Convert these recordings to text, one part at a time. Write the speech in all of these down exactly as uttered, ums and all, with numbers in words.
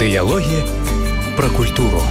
Дыялогі пра культуру.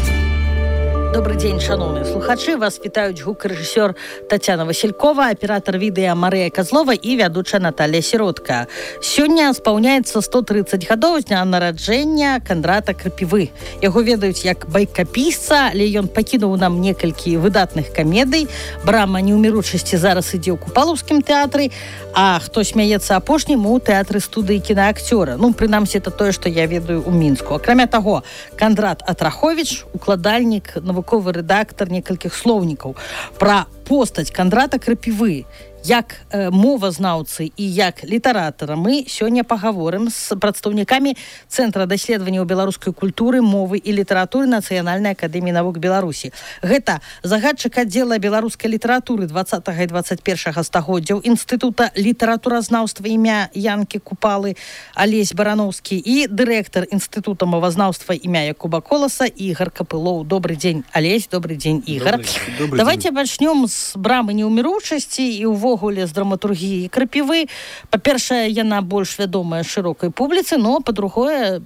Добрый день, шановные слухачи. Вас вітаюць гукарэжысёр Татьяна Василькова, аператор відэа Марыя Козлова і вядучая Наталья Сиротка. Сёння спаўняецца сто тридцать гадоў з дня нараджэння Кандрата Крапівы. Яго ведаюць як байкапісца, але ён пакінуў нам некалькі выдатных камедый. Брама неўміручасці зараз ідзе ў Купалаўскім тэатры, а хто смяецца апошнім у тэатры студыі кінаакцёра. Ну, прынамсі, это тое, што я ведаю ў Мінску. Акрамя таго, Кандрат Атраховіч, укладальнік, навуковы рэдактар некалькіх слоўнікаў. Пра постаць Кандрата Крапівы як э, мовазнаўцы і як літаратара мы сёння пагаворым з прадстаўнікамі Цэнтра даследаванняў беларускай культуры, мовы і літаратуры Нацыянальнай акадэміі навук Беларусі. Гэта загадчык аддзела беларускай літаратуры двадцатага і двадцать першага стагоддзяў Інстытута літаратуразнаўства імя Янкі Купалы Алесь Барановскі і дырэктар Інстытута мовазнаўства імя Якуба Коласа Ігар Капылоў. Добрый дзень, Алесь, добрый дзень, Ігар. Добрый, добрый Давайте дзень. пачнём з брамы неўміручасці і ўвогуле увогуле з драматургіі Крапівы. Па-першае, яна больш вядомая шырокай публіцы, но па-другое,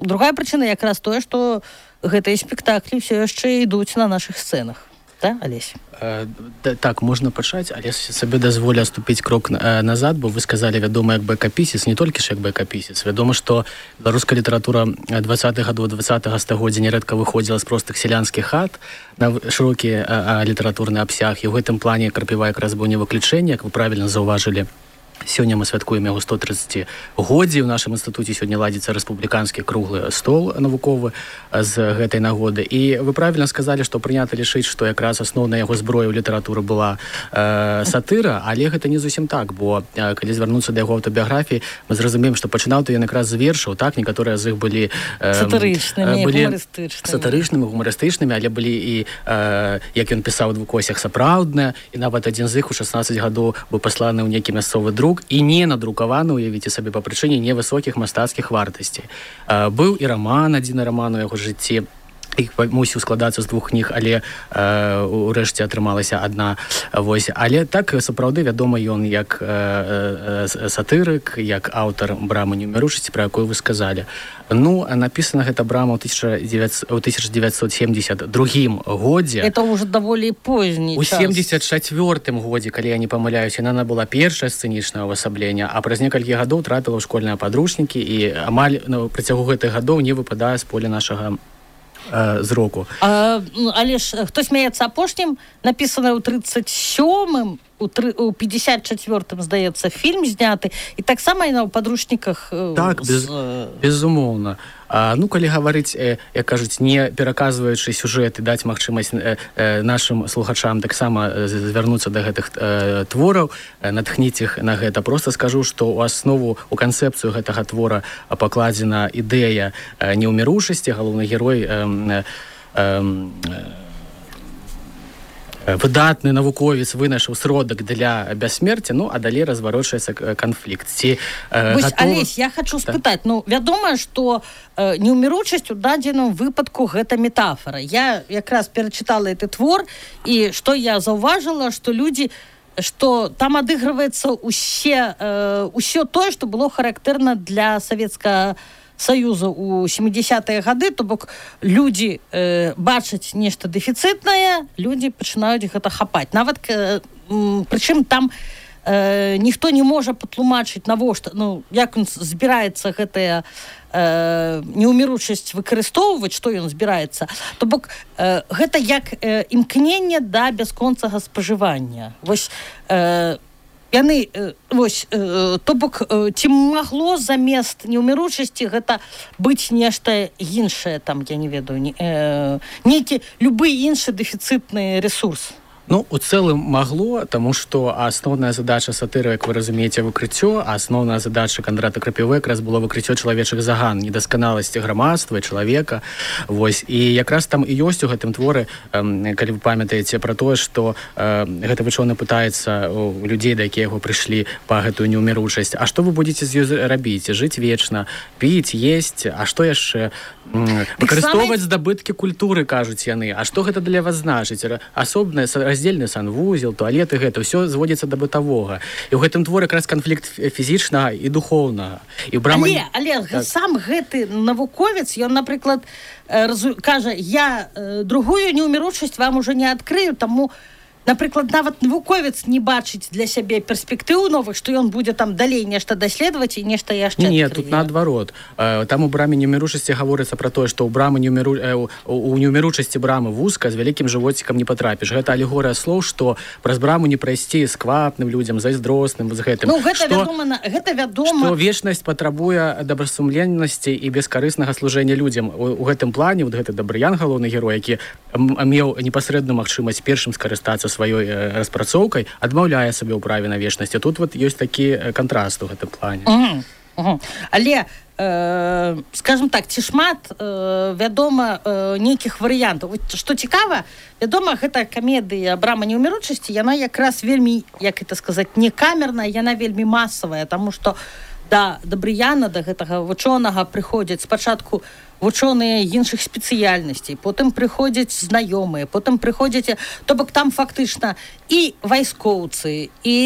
другая прычына якраз тое, што гэтыя спектаклі ўсё яшчэ ідуць на нашых сцэнах. Да, Алесь? Э, да, так, можна пачаць, але сабе дазволю ступіць крок э, назад, бо вы сказалі вядома як байкапісец, не толькі ж як байкапісец. Вядома, што беларуская літаратура двадцатых гадоў двадцатага стагоддзя нярэдка выходзіла з простых сялянскіх хат на шырокі э, э, літаратурны абсяг, і ў гэтым плане Крапіва якраз быў не выключэнне, як вы правільна заўважылі. Сёння мы святкуем яго сто тридцатигоддзе. У нашым інстытуце сёння ладзіцца рэспубліканскі круглы стол навуковы з гэтай нагоды. І вы правільна сказалі, што прынята лічыць, што якраз асноўная яго зброя ў літаратуры была э, сатыра, але гэта не зусім так, бо э, калі звярнуцца да яго аўтабіяграфіі, мы зразумеем, што пачынаў то ён якраз з вершаў, так, некаторыя з іх былі э, сатырычнымі, былі гумарыстычнымі. Сатырычнымі, гумарыстычнымі, але былі і, э, як ён пісаў у двукосях, сапраўдныя, і нават адзін з іх у шаснаццаць гадоў быў пасланы ў нейкі мясцовы друк і не надрукаваны, уявіце сабе, па прычыне невысокіх мастацкіх вартасцей. Э, быў і раман, адзін раман у яго жыцці, іх мусіў складацца з двух кніг, але э, урэшце атрымалася адна. Вось. Але так сапраўды вядома ён як э, э, сатырык, як аўтар брамы неўміручасці, пра якую вы сказалі. Ну, напісана гэта брама ў тысяча девятьсот семьдесят другім годзе. Это уже даволі позні У час. семьдесят четвёртым годзе, калі я не памыляюсь, яна набыла першае сцэнічнае ўвасабленне, а праз некалькі гадоў трапіла ў школьныя падручнікі і амаль на працягу гэтых гадоў не выпадае з поля нашага э, зроку. А, але ж хто смяецца апошнім, напісана ў тридцать сёмым, у, три, у пятьдесят четвёртым, здаецца, фільм зняты, і таксама яна ў падручніках. Так, без, безумоўна. А, ну, калі гаварыць, э, як кажуць, не пераказваючы сюжэт і даць магчымасць э, э, нашым слухачам таксама звярнуцца да гэтых э, твораў, э, натхніць іх на гэта. Просто скажу, што ў аснову, у канцэпцыю гэтага твора пакладзена ідэя э, неўміручасці. Галоўны герой э, э, э, выдатны навуковец вынайшаў сродак для бяссмерця, ну, а далей разварочваецца канфлікт. Ці, э, Вось, гатова... Алесь, я хочу спытаць, ну, вядома, што э, неўміручасць у дадзеным выпадку гэта метафора. Я якраз перачытала гэты твор, і што я заўважыла, што людзі, што там адыгрываецца ўсе, э, ўсё тое, што было характэрна для савецкага Саюза у семидесятые гады, то бок людзі э, бачаць нешта дэфіцытнае, людзі пачынаюць гэта хапаць. Нават, э, прычым там э, ніхто не можа патлумачыць, навошта, ну, як ён збіраецца гэтая э, неўміручасць выкарыстоўваць, што ён збіраецца. То бок э, гэта як э, імкненне да бясконцага спажывання. Вось э, яны, э, вось, э, то бок, э, ці магло замест неўміручасці гэта быць нешта іншае, там, я не ведаю, не, э, нейкі любы іншы дэфіцытны ресурс? Ну, у цэлым магло, таму што асноўная задача сатыры, як вы разумееце, выкрыццё, а асноўная задача Кандрата Крапівы якраз было выкрыццё чалавечых заган, недасканаласці грамадства і чалавека. Вось. І якраз там і ёсць у гэтым творы, э, калі вы памятаеце пра тое, што э, гэта вучоны пытаецца у людзей, да якія яго прыйшлі па гэтую неўміручасць. А што вы будзеце з ёй рабіць? Жыць вечна, піць, есць, а што яшчэ? выкарыстоўваць здабыткі культуры, кажуць яны. А што гэта для вас значыць? Асобны раздзельны санвузел, туалеты, гэта ўсё зводзіцца да бытавога. І ў гэтым творы якраз канфлікт фізічнага і духоўнага. І брама... Але, але так. Сам гэты навуковец, ён, напрыклад, разу... кажа, я другую неўміручасць вам уже не адкрыю, таму напрыклад, нават навуковец не бачыць для сябе перспектыў новых, што ён будзе там далей нешта даследаваць і нешта яшчэ адкрые. Не, тут наадварот. Там у браме неўміручасці гаворыцца пра тое, што ў брамы неўміру... у неўміручасці брамы вузка з вялікім жывоцікам не патрапіш. Гэта алегорыя слоў, што праз браму не прайсці сквапным людзям, зайздросным, з гэтым. Ну, гэта што... вядома, гэта вядома. Што вечнасць патрабуе добрасумленнасці і бескарыснага служэння людзям. У, у гэтым плане вот гэты Дабрыян, галоўны герой, які меў непасрэдную магчымасць першым скарыстацца сваёй распрацоўкай, адмаўляе сабе ў праве на вечнасць. Тут вот ёсць такі кантраст у гэтым плане. Uh-huh. Uh-huh. Але, э, скажем так, ці шмат э, вядома э, нейкіх варыянтаў. Што цікава, вядома, гэта камедыя «Брама неўміручасці», яна якраз вельмі, як это сказаць, не камерная, яна вельмі масавая, таму што да Дабрыяна, да гэтага вучонага прыходзяць спачатку вучоныя іншых спецыяльнасцей, потым прыходзяць знаёмыя, потым прыходзяць, то бок там фактычна і вайскоўцы, і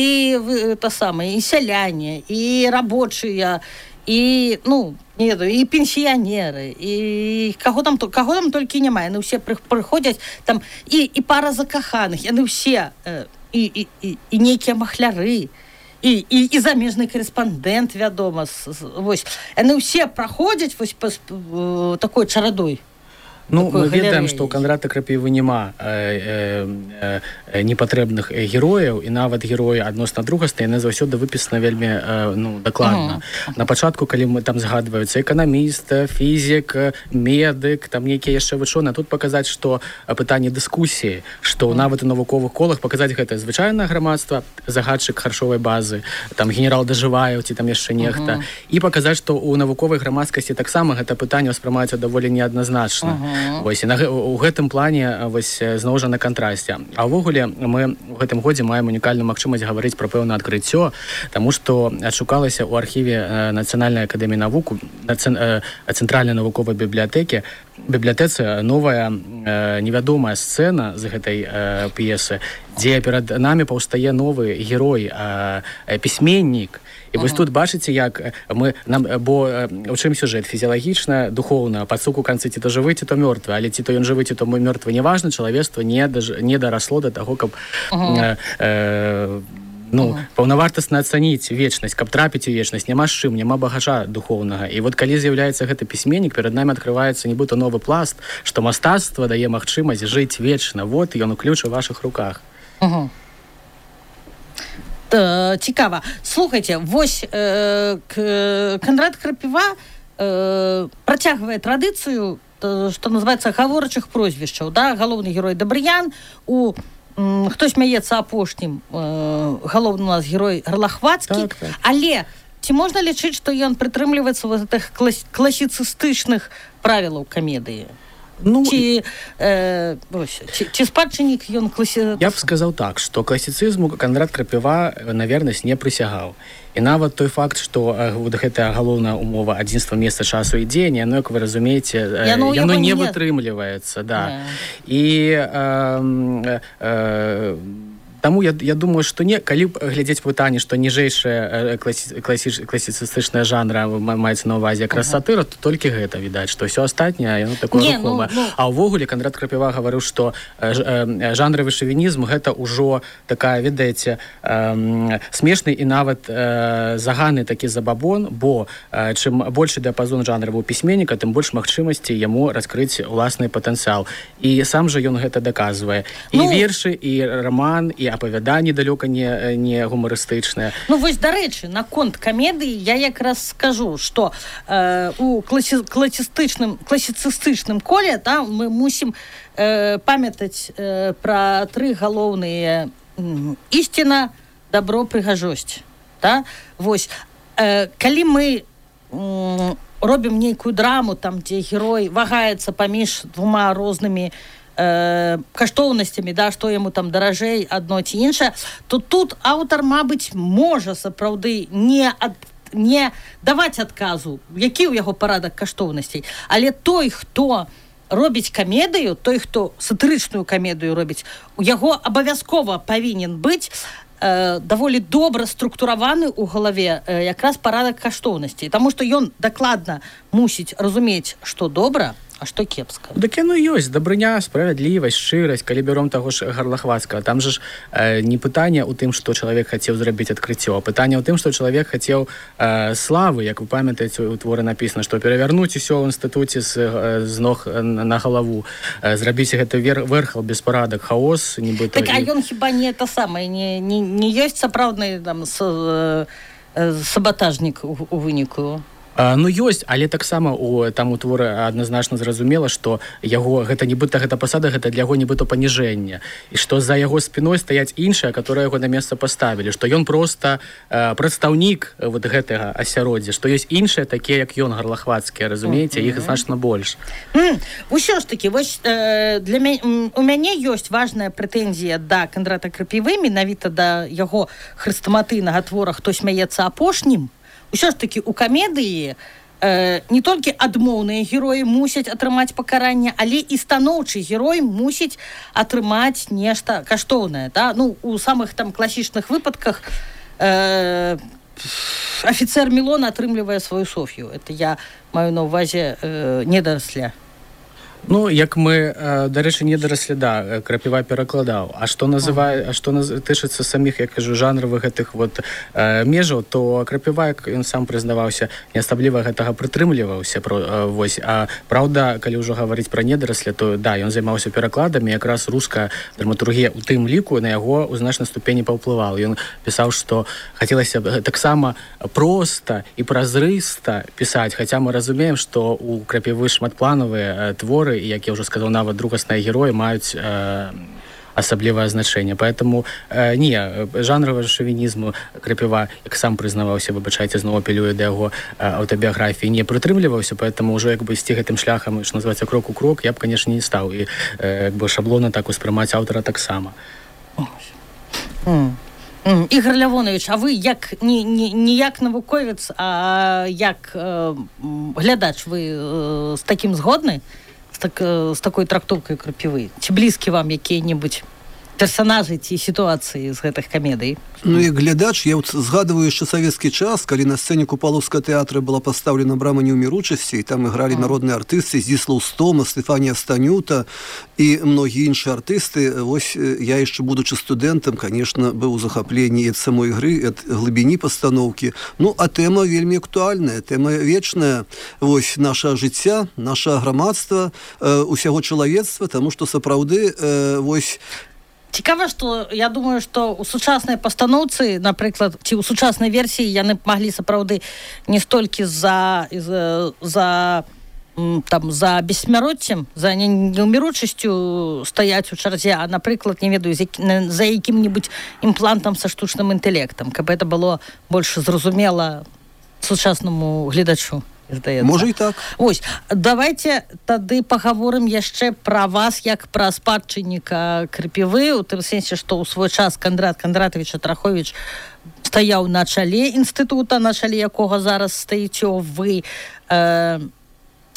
та самае, і сяляне, і рабочыя, і, ну, не ведаю, і пенсіянеры, і каго там, каго там толькі няма, яны ўсе прыходзяць, там, і, і пара закаханых, яны ўсе, і, і, і, і нейкія махляры, І, і, і замежны корэспандэнт, вядома, вось, яны ўсе праходзяць вось па, па, такой чарадой. Ну, мы ведаем, што ў Кандрата Крапівы няма э, э, э, непатрэбных герояў, і нават героі адносна другасты, яны заўсёды выпісаны вельмі э, ну, дакладна. Uh-huh. На пачатку, калі мы там згадваюцца эканаміст, фізік, медык, там нейкія яшчэ вучоныя, тут паказаць, што пытанне дыскусіі, што uh-huh. нават у навуковых колах паказаць гэта звычайнае грамадства, загадчык харчовай базы, там генерал Дажываеў ці там яшчэ нехта, uh-huh. і паказаць, што ў навуковай грамадскасці таксама гэта пытанне ўспрымаецца даволі неадназначна. Uh-huh. Вось, і на, у гэтым плане вось, зноў жа на кантрасце. А ўвогуле мы ў гэтым годзе маем унікальную магчымасць гаварыць пра пэўнае адкрыццё, таму што адшукалася ў архіве Нацыянальнай акадэміі навук, цэнтральнай навуковай бібліятэкі, бібліятэцы новая э, невядомая сцэна з гэтай э, п'есы, дзе перад намі паўстае новы герой, э, э, пісьменнік. І вось тут бачыце, як мы нам, бо у чым сюжэт фізіялагічна, духоўна, пад суку канцы ці то жывы, ці то мёртвы, але ці то ён жывы, ці то мёртвы, неважна, чалавецтва не, даж, не дарасло да таго, каб uh-huh. э, э, ну, uh-huh. паўнавартасна ацаніць вечнасць, каб трапіць у вечнасць, няма з чым, няма багажа духоўнага. І вот калі з'яўляецца гэты пісьменнік, перад намі адкрываецца нібыта новы пласт, што мастацтва дае магчымасць жыць вечна. Вот ён у ключ у вашых руках. Uh-huh. Цікава. Слухайте, вось э, Кандрат Крапіва э, працягвае традыцыю, што называецца гаворачых прозвішчаў, да? Галоўны герой Дабрыян, у м, хто смяецца апошнім, э, галоўны у нас герой Гарлахвацкі, так, так. Але ці можна лічыць, што ён прытрымліваецца ў гэтых клас, класіцыстычных правілаў камедыі? Ну, ці, э, ось, ці, ці спадчыннік ён класі... Я б сказаў так, што класіцызму Кандрат Крапіва на вернасць не прысягаў. І нават той факт, што э, вот гэтая галоўная умова адзінства месца, часу і дзеяння, яно, як вы разумееце, э, яно, яно не, не вытрымліваецца. Да. Yeah. І э, э, э, таму я, я думаю, што не, калі глядзець пытанне, што ніжэйшая класі, класі, класіцыстычная жанра маецца на ўвазе якраз ага. сатыра, то толькі гэта відаць, што ўсё астатняе, яно такое рухомае. Ну, ну... А ўвогуле Кандрат Крапіва гаварыў, што э, э, жанравы шавінізм гэта ўжо такая, ведаеце, э, смешны і нават э, заганы такі забабон, бо э, чым большы дыяпазон жанравого пісьменніка, тым больш магчымасці яму раскрыць уласны патэнцыял. І сам жа ён гэта даказвае. І ну... вершы, і раман, і апавяданні далёка не, не гумарыстычныя. Ну вось, дарэчы, наконт камедыі я якраз скажу, што э, у класі, класістычным, класіцыстычным коле да, мы мусім э, памятаць э, пра тры галоўныя э, ісціна, дабро, прыгажосць. Да? Вось, э, калі мы э, робім нейкую драму, там, дзе герой вагаецца паміж двума рознымі Э, каштоўнасцямі, да, што яму там даражэй адно ці іншае, то тут аўтар, мабыць, можа сапраўды не ад, не даваць адказу, які ў яго парадак каштоўнасцей, але той, хто робіць камедыю, той, хто сатырычную камедыю робіць, у яго абавязкова павінен быць э, даволі добра структураваны ў галаве э, якраз парадак каштоўнасцей, таму што ён дакладна мусіць разумець, што добра, а што кепска. Дык яно ёсць, дабрыня, справядлівасць, шчырасць, калі бяром таго ж Гарлахвацкага. Там жа ж э, не пытанне ў тым, што чалавек хацеў зрабіць адкрыццё, а пытанне ў тым, што чалавек хацеў э, славы, як вы памятаеце, у творы напісана, што перавярнуць усё ў інстытуце з, з ног на галаву, э, зрабіць гэта вер, верхал, беспарадак, хаос, нібыта. Так, а ён хіба не это самае, не, не, не ёсць сапраўдны там с, э, сабатажнік у, у выніку? А, ну ёсць, але таксама у там у творы адназначна зразумела, што яго гэта нібыта гэта пасада, гэта для яго нібыта паніжэнне, і што за яго спіной стаяць іншыя, которые яго на месца паставілі, што ён проста э, прадстаўнік вот гэтага асяроддзя, што ёсць іншыя такія, як ён, Гарлахвацкія, разумееце, іх значна больш. Mm. Усё ж такі, вось э, для мяне у мяне ёсць важная прэтэнзія да Кандрата Крапівы, менавіта да яго хрэстаматыйнага твора «Хто смяецца апошнім». Усё ж такі у камедыі э, не толькі адмоўныя героі мусяць атрымаць пакаранне, але і станоўчы герой мусіць атрымаць нешта каштоўнае. Да? Ну, у самых там класічных выпадках э, афіцэр Мілон атрымлівае сваю Соф'ю. Это я маю на ўвазе э, недарасля. Ну, як мы, дарэчы, не дараслі, да, Крапіва перакладаў. А што называе, а што наз... тычыцца саміх, я кажу, жанравых гэтых вот э, межаў, то Крапіва, як ён сам прызнаваўся, не асабліва гэтага прытрымліваўся. Про, э, вось. А праўда, калі ўжо гаварыць пра недарасля, то да, ён займаўся перакладамі, якраз руская драматургія у тым ліку на яго ў значнай ступені паўплывала. Ён пісаў, што хацелася б таксама проста і празрыста пісаць, хаця мы разумеем, што у Крапівы шматпланавыя э, творы, як я ўжо сказаў, нават другасныя героі маюць э, асаблівае значэнне. Поэтому э, не, жанравага шавінізму Крапіва, як сам прызнаваўся, выбачайце, зноў апелюе да яго э, аўтабіяграфіі, не прытрымліваўся, поэтому ўжо як бы ісці гэтым шляхам, што называецца, крок у крок, я б, канешне, не стаў. І э, як бы шаблона так успрымаць аўтара таксама. Mm. Mm. Ігор Лявонович, а вы як не, не, не як навуковец, а як э, глядач, вы э, з такім згодны? З, так, з такой трактоўкай Крапівы? Ці блізкі вам якія-небудзь персонажы ці сітуацыі з гэтых камедый? Ну і глядач, я вот згадываю яшчэ савецкі час, калі на сцэне Купалаўскага тэатра была пастаўлена брама неўміручасці, і там ігралі mm. народныя артысты Здзіслаў Стома, Стэфанія Станюта і многія іншыя артысты. Вось я яшчэ, будучы студэнтам, конечно, быў у захапленні ад самой ігры, ад глыбіні пастаноўкі. Ну, а тэма вельмі актуальная, тэма вечная. Вось наша жыцця, наша грамадства, э, усяго чалавецтва, таму што сапраўды э, вось цікава, што я думаю, што ў сучаснай пастаноўцы, напрыклад, ці ў сучаснай версіі яны маглі сапраўды не столькі за, за, за, там, за бессмяроццем, за неўміручасцю стаяць у чарзе, а, напрыклад, не ведаю, за якім-небудзь імплантам са штучным інтэлектам, каб гэта было больш зразумела сучаснаму гледачу. Здаецца. Можа і так. Ось, давайте тады пагаворым яшчэ пра вас як пра спадчынніка Крапівы, у тым сэнсе, што ў свой час Кандрат Кандратавіч Атраховіч стаяў на чале інстытута, на чале якога зараз стаіце вы. Э,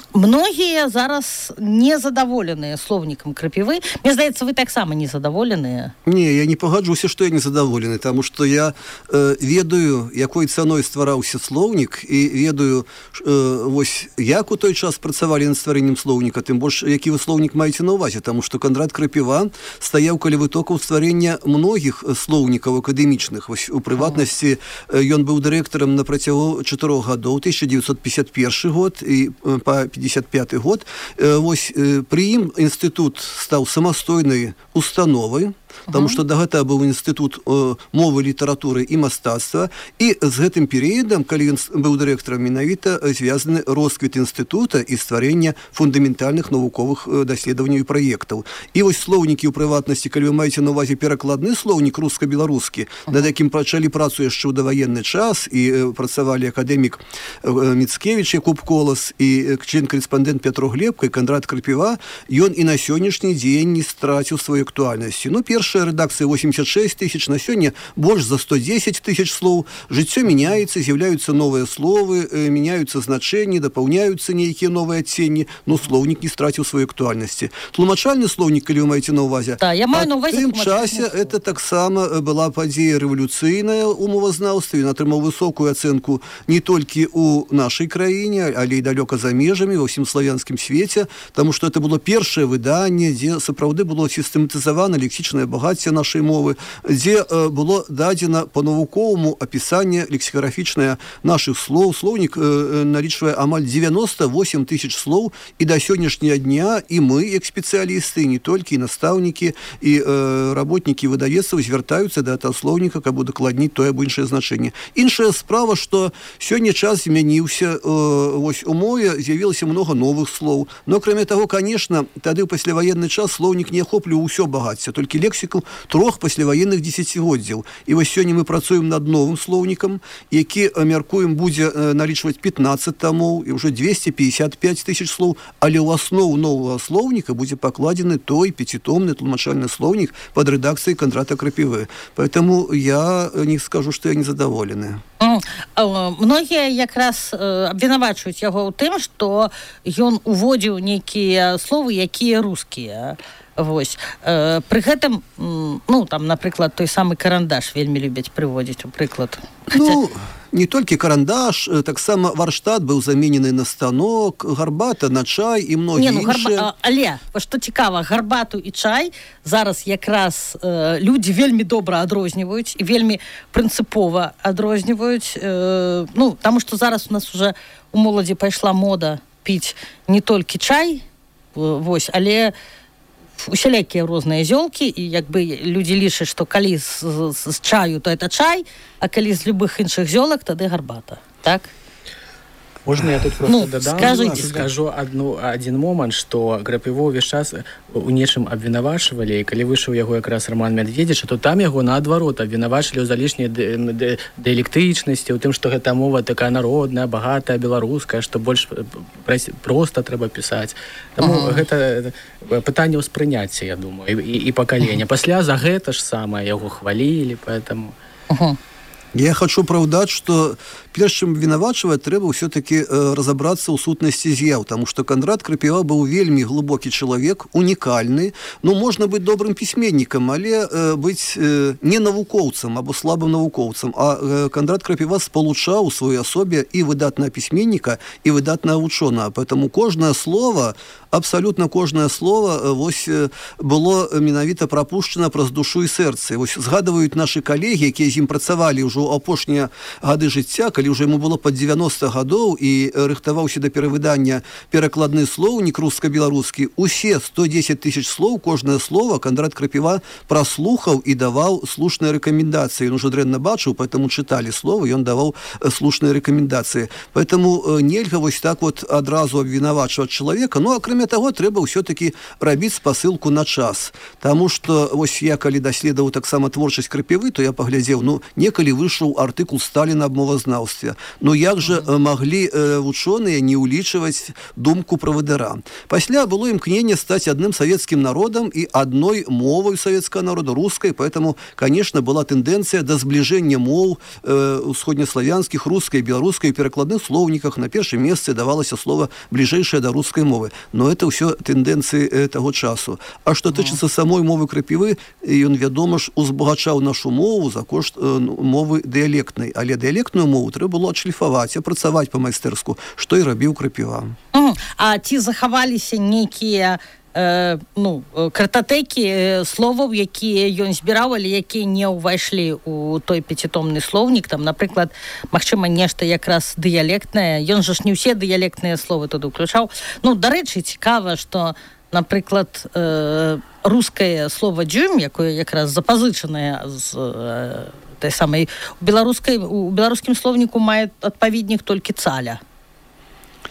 многія зараз незадаволеныя слоўнікам Крапівы. Мне здаецца, вы таксама незадаволеныя. Не, я не пагаджуся, што я незадаволены, таму што я э, ведаю, якой цаной ствараўся слоўнік, і ведаю, э, вось, як у той час працавалі над стварэннем слоўніка, тым больш, які вы слоўнік маеце на ўвазе, таму што Кандрат Крапіва стаяў каля вытокаў стварэння многіх слоўнікаў акадэмічных. Вось, у прыватнасці, ён быў дырэктарам на працягу чатырох гадоў, тысяча дзевяцьсот пятьдесят первый год і па пятьдесят пятый год. Вось, пры ім інстытут стаў самастойнай установай, потому что до гэтага быў інстытут э, мовы, літаратуры і мастацтва, і з гэтым перыядам, калі ён быў дырэктарам, менавіта звязаны росквіт інстытута і стварэнне фундаментальных навуковых э, даследаванняў і праектаў. І вось слоўнікі ў прыватнасці, калі вы маеце на ўвазе перакладны слоўнік руска-беларускі, над якім пачалі працу яшчэ ў даваенны час, і э, працавалі акадэмік э, Міцкевіч, Якуб Колас, і член-карэспандэнт Пятро Глебка, і Кандрат Крапіва, ён і на сённяшні дзень не страціў сваёй актуальнасці. Ну, першая рэдакцыя восемьдесят шесть тысяч, на сёння больш за сто десять тысяч слоў. Жыццё мяняецца, з'яўляюцца новыя словы, э, мяняюцца значэнні, дапаўняюцца нейкія новыя адценні, но слоўнік не страціў сваёй актуальнасці. Тлумачальны слоўнік, калі вы маеце на ўвазе, да, я маю на ўвазе тым часе это таксама была падзея рэвалюцыйная ў мовазнаўстве, ён атрымаў высокую ацэнку не толькі ў нашай краіне, але і далёка за межамі, ва ўсім славянскім свеце, таму што это было першае выданне, дзе сапраўды было сістэматызавана лексічнае багацце нашай мовы, дзе э, было дадзена па-навуковаму апісанне лексікаграфічнае нашых слоў. Слоўнік э, налічвае амаль девяносто восемь тысяч слоў, і да сённяшняга дня і мы, як спецыялісты, і не толькі і настаўнікі, і э, работнікі выдавецтваў звяртаюцца да гэтага слоўніка, каб удакладніць тое або іншае значэнне. Іншая справа, што сёння час змяніўся, э, вось у мове з'явілася много новых слоў. Но, кроме того, конечно, тады ў пасляваенны час слоўнік не ахопліваў усё багацце, толькі лексіку трох пасляваенных дзесяцігоддзяў. І вось сёння мы працуем над новым слоўнікам, які, мяркуем, будзе э, налічваць пятнадцать томов і ўжо двести пятьдесят пять тысяч слоў, але ў аснову новага слоўніка будзе пакладзены той пяцітомны тлумачальны слоўнік пад рэдакцыяй Кондрата Крапівы. Поэтому я не скажу, што я незадаволены. Многія якраз абвінавачваюць яго ў тым, што ён уводзіў нейкія словы, якія рускія. Вось. Пры гэтым, ну, там, напрыклад, той самы карандаш вельмі любяць прыводзіць у прыклад. Ну, не толькі карандаш, таксама варштат быў заменены на станок, гарбата на чай і многія ну, іншыя. Гарба... Але, што цікава, гарбату і чай зараз якраз э, людзі вельмі добра адрозніваюць і вельмі прынцыпова адрозніваюць. Э, ну, таму што зараз у нас уже у моладзі пайшла мода піць не толькі чай, вось, але усялякія розныя зёлкі, і як бы людзі лічаць, што калі з, з, з чаю, то это чай, а калі з любых іншых зёлак, тады гарбата. Так? Можно я тут просто ну, додам? Скажите. Скажу одну, один момент, что Крапіву увесь час у нечым абвінавачвалі, і калі выйшаў яго якраз Роман Медведзіч, то там яго наадварот абвінавачвалі ў залішняй дыялектычнасці, у тым, што гэта мова такая народная, багатая, беларуская, што больш проста трэба пісаць. Таму uh-huh. гэта пытанне ўспрыняцця, я думаю, і, і пакалення. Пасля за гэта ж самае яго хвалілі, поэтому... Uh-huh. Я хочу праўдаць, што перш чым вінавачваць, трэба ўсё-такі э, разабрацца ў сутнасці з'яў, таму што Кондрат Крапіва быў вельмі глыбокі чалавек, унікальны. Ну, можна быць добрым пісьменнікам, але э, быць э, не навукоўцам або слабым навукоўцам, а э, Кондрат Крапіва спалучаў у сваёй асобе і выдатнага пісьменніка, і выдатнага вучонага. Поэтому кожнае слово, абсалютна кожнае слово э, вось, э, было менавіта прапушчана праз душу і сэрца. Вось згадваюць нашы калегі, якія з ім працавалі ўжо апошнія гады жыцця, калі ўжо яму было пад девяносто гадоў і рыхтаваўся да перавыдання перакладны слоўнік руска-беларускі, усе сто десять тысяч слоў, кожнае слово Кондрат Крапіва праслухаў і даваў слушныя рэкамендацыі. Ён ужо дрэнна бачыў, поэтому чыталі словы, ён даваў слушныя рэкамендацыі. Поэтому нельга вось так вот адразу абвінавачваць чалавека. Ну, акрамя таго, трэба ўсё-такі рабіць спасылку на час. Таму што вось я, калі даследаваў таксама творчасць Крапівы, то я паглядзеў, ну, некалі выйшаў артыкул Сталіна аб мовазнаўстве. Ну, як жа маглі э, вучоныя не ўлічваць думку правадыра? Пасля было імкненне стаць адным савецкім народам і адной мовай савецкага народа, рускай, поэтому, конечно, была тэндэнцыя да збліжэння моў э, усходнеславянскіх, рускай, беларускай, перакладных слоўніках. На першым месцы давалася слова бліжэйшае да рускай мовы. Но это ўсё тэндэнцыі э, таго часу. А што тычыцца самой мовы Крапівы, ён, вядома ж, узбагачаў нашу мову за кошт э, мовы дыялектнай. Але дыялектную мову трэба было адшліфаваць, апрацаваць па-майстэрску, што і рабіў Крапіва. Mm. А ці захаваліся нейкія э, ну, картатэкі э, словаў, якія ён збіраў, але якія не ўвайшлі ў той пяцітомны слоўнік, там, напрыклад, магчыма, нешта якраз дыялектнае. Ён жа ж не ўсе дыялектныя словы туды ўключаў. Ну, дарэчы, цікава, што, напрыклад, э, рускае слова «дзюм», якое якраз запазычанае з э, той самай у беларускай у беларускім слоўніку мае адпаведнік толькі цаля.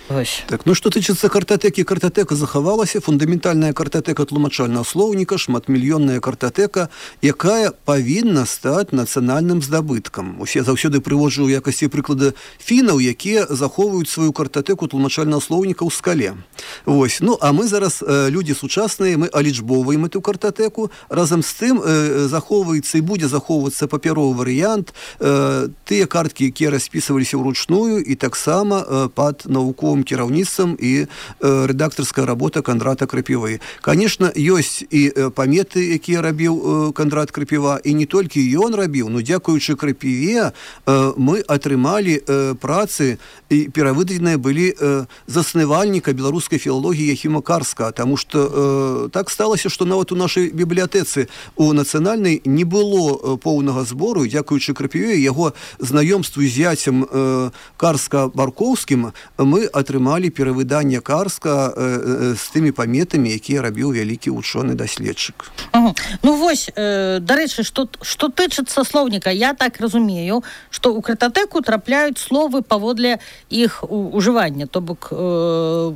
Ось. Так, ну што тычыцца картатэкі, картатэка захавалася, фундаментальная картатэка тлумачальнага слоўніка, шматмільённая картатэка, якая павінна стаць нацыянальным здабыткам. Усе заўсёды прыводжу ў якасці прыклада фінаў, якія захоўваюць сваю картатэку тлумачальнага слоўніка ў скале. Вось. Ну, а мы зараз, э, людзі сучасныя, мы алічбоўваем эту картатэку, разам з тым э, захоўваецца і будзе захоўвацца папяровы варыянт, э, тыя карткі, якія распісваліся ўручную, і таксама э, пад навуковым кіраўніцтвам і э, рэдактарская работа Кандрата Крапівы. Конечно, ёсць і э, паметы, якія рабіў э, Кандрат Крапіва, і не толькі ён рабіў, но дзякуючы Крапіве э, мы атрымалі э, працы, і перавыдадзеныя былі э, заснавальніка беларускай філалогіі Яхіма Карска, таму што э, так сталася, што нават у нашай бібліятэцы у нацыянальнай не было э, поўнага збору, і дзякуючы Крапіве, яго знаёмству з зяцем э, Карска-Баркоўскім мы атрымалі перавыданне Карска э, э, з тымі паметамі, якія рабіў вялікі вучоны даследчык. Ага. Ну вось, э, дарэчы, што, што тычыцца слоўніка, я так разумею, што ў картатэку трапляюць словы паводле іх ужывання, то бок э,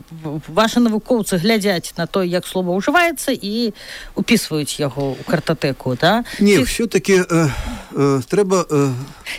ваши навукоўцы глядзяць на то, як слова ўжываецца, і упісваюць яго ў картатэку, да? Не, Ці... все-таки э, э, трэба э,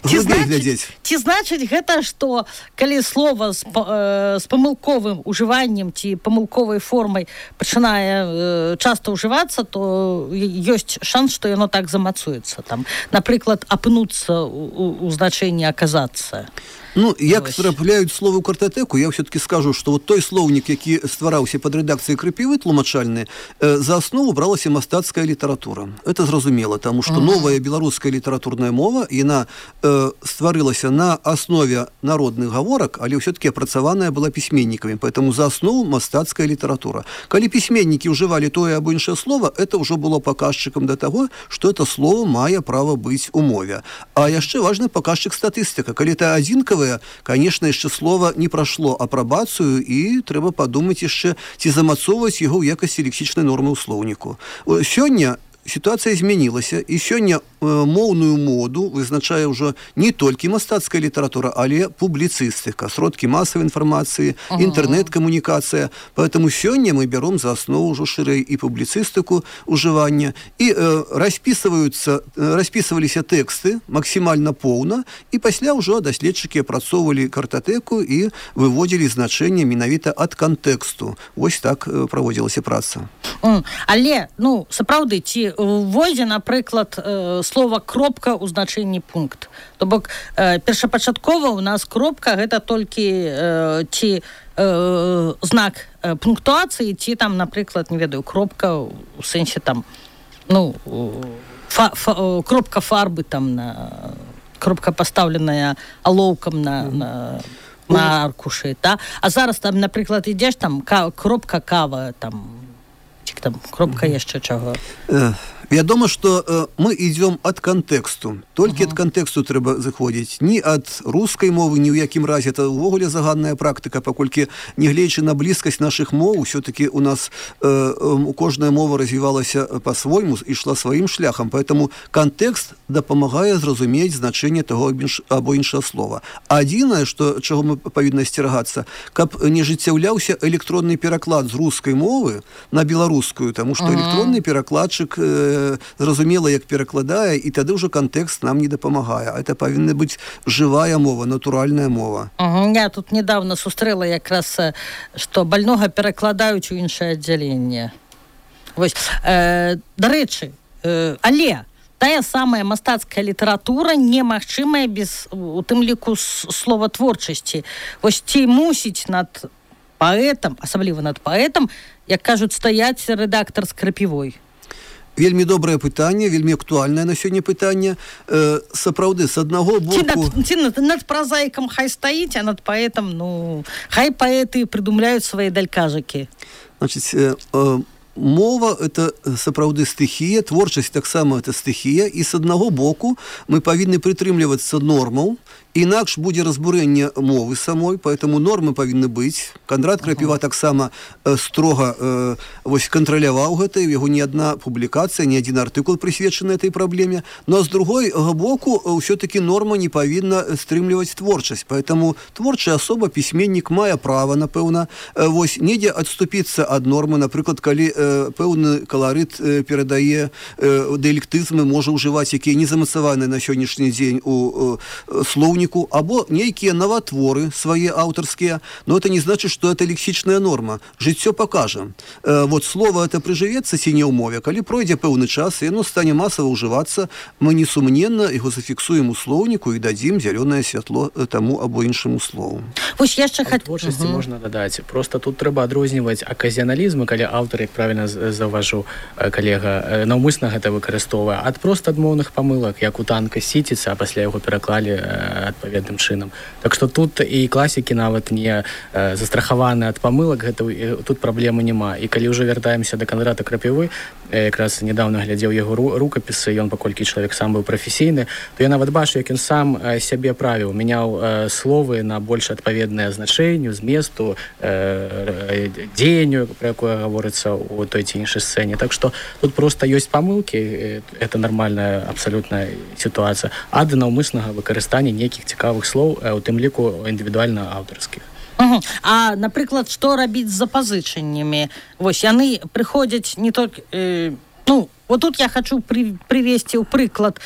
глыбей глядзець. Ці значыць гэта, што калі слова з, э, з памылковым ужываннем ці памылковай формай пачынае э, часта ўжывацца, то ёсць шанс, што яно так замацуецца. Там, напрыклад, апынуцца ў, у значэнні аказацца. Ну, як трапляюць словы ў картатэку, я все-таки скажу, што вот той слоўнік, які ствараўся пад рэдакцыяй Крапівы тлумачальны, э, за аснову бралася мастацкая літаратура. Это зразумела, таму што ага. новая беларуская літаратурная мова, яна э, стварылася на аснове народных гаворак, але все-таки апрацаваная была пісьменнікамі, поэтому за аснову мастацкая літаратура. Калі пісьменнікі ўжывалі тое або іншае слова, это ўжо было паказчыкам да таго, што это слово мае права быць у мове. А яшчэ важны паказчык статыстыка. Калі это адзінкавы, конечно, яшчэ слова не прашло апрабацыю, і трэба падумаць яшчэ, ці замацоўваць яго ў якасці лексічнай нормы ў слоўніку. Сёння сітуацыя змянілася, і сёння э, моўную моду вызначае ўжо не толькі мастацкая літаратура, але публіцыстыка, сродкі масавай інфармацыі, ага. інтэрнэт-камунікацыя. Поэтому сёння мы бяром за аснову ўжо шырэй і публіцыстыку ўжывання, і э, распісваюцца, э, распісваліся тэксты максімальна поўна, і пасля ўжо даследчыкі апрацоўвалі картатэку і выводзілі значэнне менавіта ад кантэксту. Вось так э, праводзілася праца. Mm. Але, ну, сапраўды, ці уводзе, напрыклад, э, слова кропка ў значэнні пункт. То бок, э, першапачаткова ў нас кропка гэта толькі э, ці э, знак э, пунктуацыі, ці там, напрыклад, не ведаю, кропка ў сэнсе там, ну, фа, фа, кропка фарбы там, на, кропка пастаўленая алоўкам на, на, на аркушы, да? А зараз там, напрыклад, ідзеш там, ка, кропка кава, там, там кропка яшчэ чаго. Вядома, што э, мы ідзём ад кантэксту. Толькі ад uh-huh. кантэксту трэба заходзіць. Ні ад рускай мовы, ні ў якім разе. Это ўвогуле заганная практыка, паколькі, нягледзячы на блізкасць нашых моў, усё-таки у нас э, э, кожная мова развівалася па-свойму, ішла сваім шляхам. Поэтому кантэкст дапамагае зразумець значэнне таго або іншага слова. Адзінае, што, чаго мы павінны асцерагацца, каб не жыццяўляўся электронны пераклад з рускай мовы на беларускую, таму што uh-huh. электронны перакладчык э, зразумела, як перакладае, і тады ўжо кантэкст нам не дапамагае. А это павінна быць жывая мова, натуральная мова. Угу. Я тут недавно сустрэла якраз, што больнога перакладаюць у іншае аддзяленне. Вось. Э, дарэчы, э, але тая самая мастацкая літаратура немагчымая без, у тым ліку, слова творчасці. Вось ці мусіць над паэтам, асабліва над паэтам, як кажуць, стаяць рэдактар з Крапівой? Вельмі добрае пытанне, вельмі актуальнае на сёння пытанне. Э, сапраўды, з аднаго боку... Ці над, ці над, над празаікам хай стаіць, а над паэтам, ну, хай паэты прыдумляюць свае далькажыкі. Значыць, э, э, мова – это сапраўды стыхія, творчасць таксама это стыхія, і з аднаго боку мы павінны прытрымлівацца нормаў інакш будзе разбурэнне мовы самой, поэтому нормы павінны быць. Кандрат Крапіва таксама э, строга э, вось кантраляваў гэта, яго ні адна публікацыя, ні адзін артыкул прысвечаны этой праблеме, но з другой боку ўсё-таки норма не павінна стрымліваць творчасць, поэтому творчая асоба, пісьменнік мае права, напэўна, э, вось недзе адступіцца ад нормы, напрыклад, калі э, пэўны каларыт э, перадае э, дыялектызмы, можа ўжываць, якія не замацаваны на сённяшні дзень у э, слоўніку, або нейкія наватворы свае аўтарскія, но это не значит, что это лексічная норма. Жыццё пакажа. Э, вот слово это прыжывецца ці не ў мове, калі пройдзе пэўны час, і яно стане масава ўжывацца, мы несумненна яго зафіксуем у слоўніку і дадзім зялёнае святло таму або іншаму слову. Вось яшчэ хат... творчасці угу. можна дадаць. Просто тут трэба адрозніваць аказіяналізм, калі аўтар, як правільна заўважыў калега, наўмысна гэта выкарыстоўвае, ад проста адмоўных памылак, як у танка сіціцца, а пасля яго пераклалі адпаведным чынам. Так што тут і класікі нават не застрахаваны ад памылак, гэта тут праблемы няма. І калі ўжо вяртаемся да Кандрата Крапівы, якраз недавно глядзеў яго рукапісы, ён паколькі чалавек сам быў прафесійны, то я нават бачу, як ён сам сябе правіў, мяняў словы на больш адпаведнае значэнню, зместу, дзеянню, пра якое гаворыцца ў той ці іншай сцэне. Так што тут проста ёсць памылкі, это нармальная абсалютная сітуацыя, ад наўмыснага выкарыстання нейкіх цікавых слоў, у тым ліку індывідуальна аўтарскіх. Угу. А, напрыклад, што рабіць з запазычаннямі? Вось, яны прыходзяць не толькі... Э, ну, вот тут я хочу при, привесці ў прыклад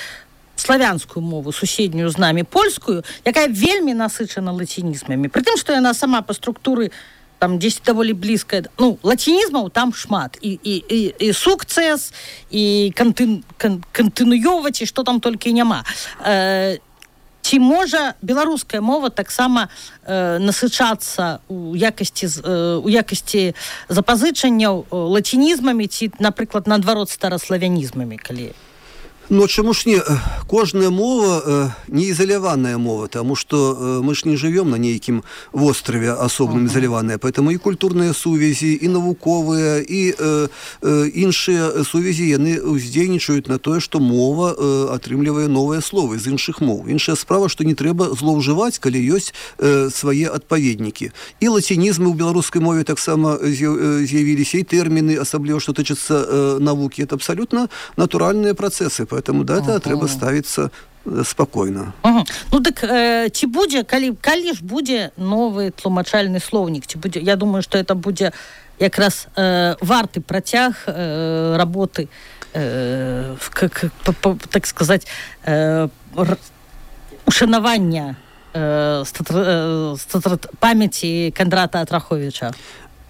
славянскую мову, суседнюю з намі, польскую, якая вельмі насычана лацінізмамі. Пры тым, што яна сама па структуры там дзесьці даволі блізкая. Ну, лацінізмаў там шмат. І, і, і, і сукцэс, і кантын, кан, кантынуёваць, і што там толькі няма. Э, Ці можа беларуская мова таксама э, насычацца ў якасці, э, ў якасці запазычанняў лацінізмамі ці, напрыклад, наадварот стараславянізмамі, калі... Но чему ж не, кожная мова э, не изоляванная мова, потому что э, мы ж не живем на нейким острове особенно uh-huh. изоляванная, поэтому и культурные сувязі, и навуковые, и э, э, іншыя сувязі, яны уздзейнічаюць на тое, что мова э, атрымлівае новыя словы з іншых моў. Іншая справа, что не трэба злоўжываць, калі ёсць э, свае адпаведнікі. І лацінізмы ў беларускай мове таксама з'явіліся, і тэрміны, асабліва, што тычацца э, навукі. Это абсолютно натуральныя працэсы. Поэтому да, это uh-huh. трэба ставіцца спакойна. Uh-huh. Ну дык э, ці будзе, калі, калі ж будзе новы тлумачальны слоўнік? Ці будзе, я думаю, што это будзе якраз э, варты працяг э, работы, э, как, по, по, так сказать, э, ушанавання э, статр, статр, памяці Кандрата Атраховіча.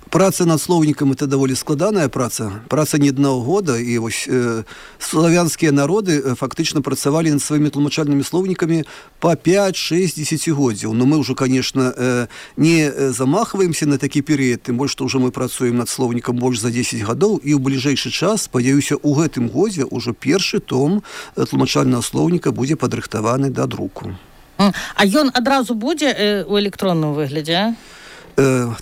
Праца над слоўнікам это даволі складаная праца, праца не аднаго года, і вось э, славянскія народы э, фактычна працавалі над сваімі тлумачальнымі слоўнікамі па пяць-шэсць дзесяцігоддзяў. Но мы ўжо, конечно, э, не замахваемся на такі перыяд, тым больш, што ўжо мы працуем над слоўнікам больш за дзесяць гадоў, і ў бліжэйшы час, спадзяюся, у гэтым годзе ўжо першы том тлумачальнага слоўніка будзе падрыхтаваны да друку. А ён адразу будзе э, у электронным выглядзе, а?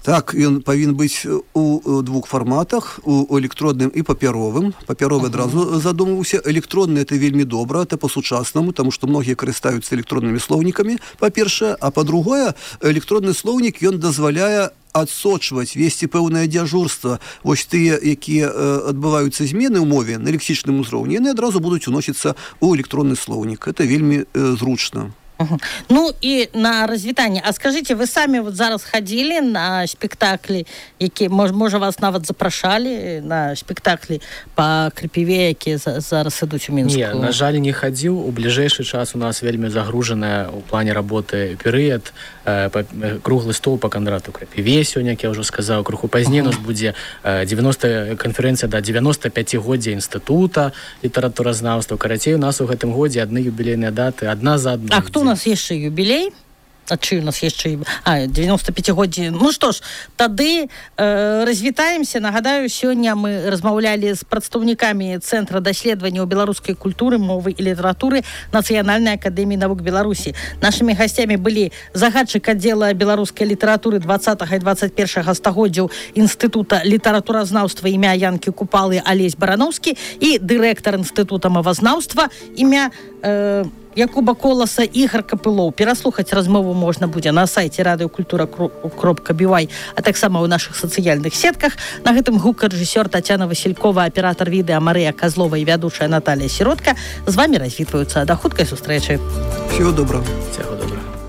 Так, ён павінен быць у двух фарматах, у электронным і папяровым. Папяровы адразу задумаўся. Электронны это вельмі добра, это па-сучаснаму, таму што многія карыстаюцца электроннымі слоўнікамі, па-першае, а па-другое, электронны слоўнік ён дазваляе адсочваць, весці пэўнае дзяжурства. Вось тыя, якія э, адбываюцца змены ў мове на лексічным узроўні, яны адразу будуць уносіцца ў электронны слоўнік. Это вельмі э, зручна. Угу. Ну і на развітанне. А скажите, вы самі вот зараз хадзілі на спектаклі, які, можа, вас нават запрашалі на спектаклі па Крапіве, якія зараз ідуць у Мінску? Не, на жаль, не хадзіў. У бліжэйшы час у нас вельмі загружаная ў плане работы перыяд. Э, круглы стол па Кандрату Крапіве сёння, як я ўжо сказаў, крыху пазней у нас будзе девяносто канферэнцыя да девяносто пяцігоддзя інстытута літаратуразнаўства. Карацей, у нас у гэтым годзе адны юбілейныя даты, адна за адной. А хто у нас яшчэ юбілей? А чый у нас яшчэ... А, девяносто пяцігоддзі. Ну што ж, тады э, развітаемся. Нагадаю, сёння мы размаўлялі з прадстаўнікамі Цэнтра даследаванняў беларускай культуры, мовы і літаратуры Нацыянальнай акадэміі навук Беларусі. Нашымі гасцямі былі загадчык аддзела беларускай літаратуры двадцатага і двадцать першага стагоддзяў Інстытута літаратуразнаўства імя Янкі Купалы Алесь Барановскі і дырэктар Інстытута мовазнаўства імя... Э, Якуба Коласа, Ігор Капылоў. Пераслухаць размову можна будзе на сайце радыёкультура кропка бі вай, а таксама ў нашых сацыяльных сетках. На гэтым гукарэжысёр Тацяна Васількова, аператар відэа Марыя Казлова і вядучая Наталія Сіротка. З вамі развітваюцца. Да хуткай сустрэчы. Всего доброго. Всего доброго.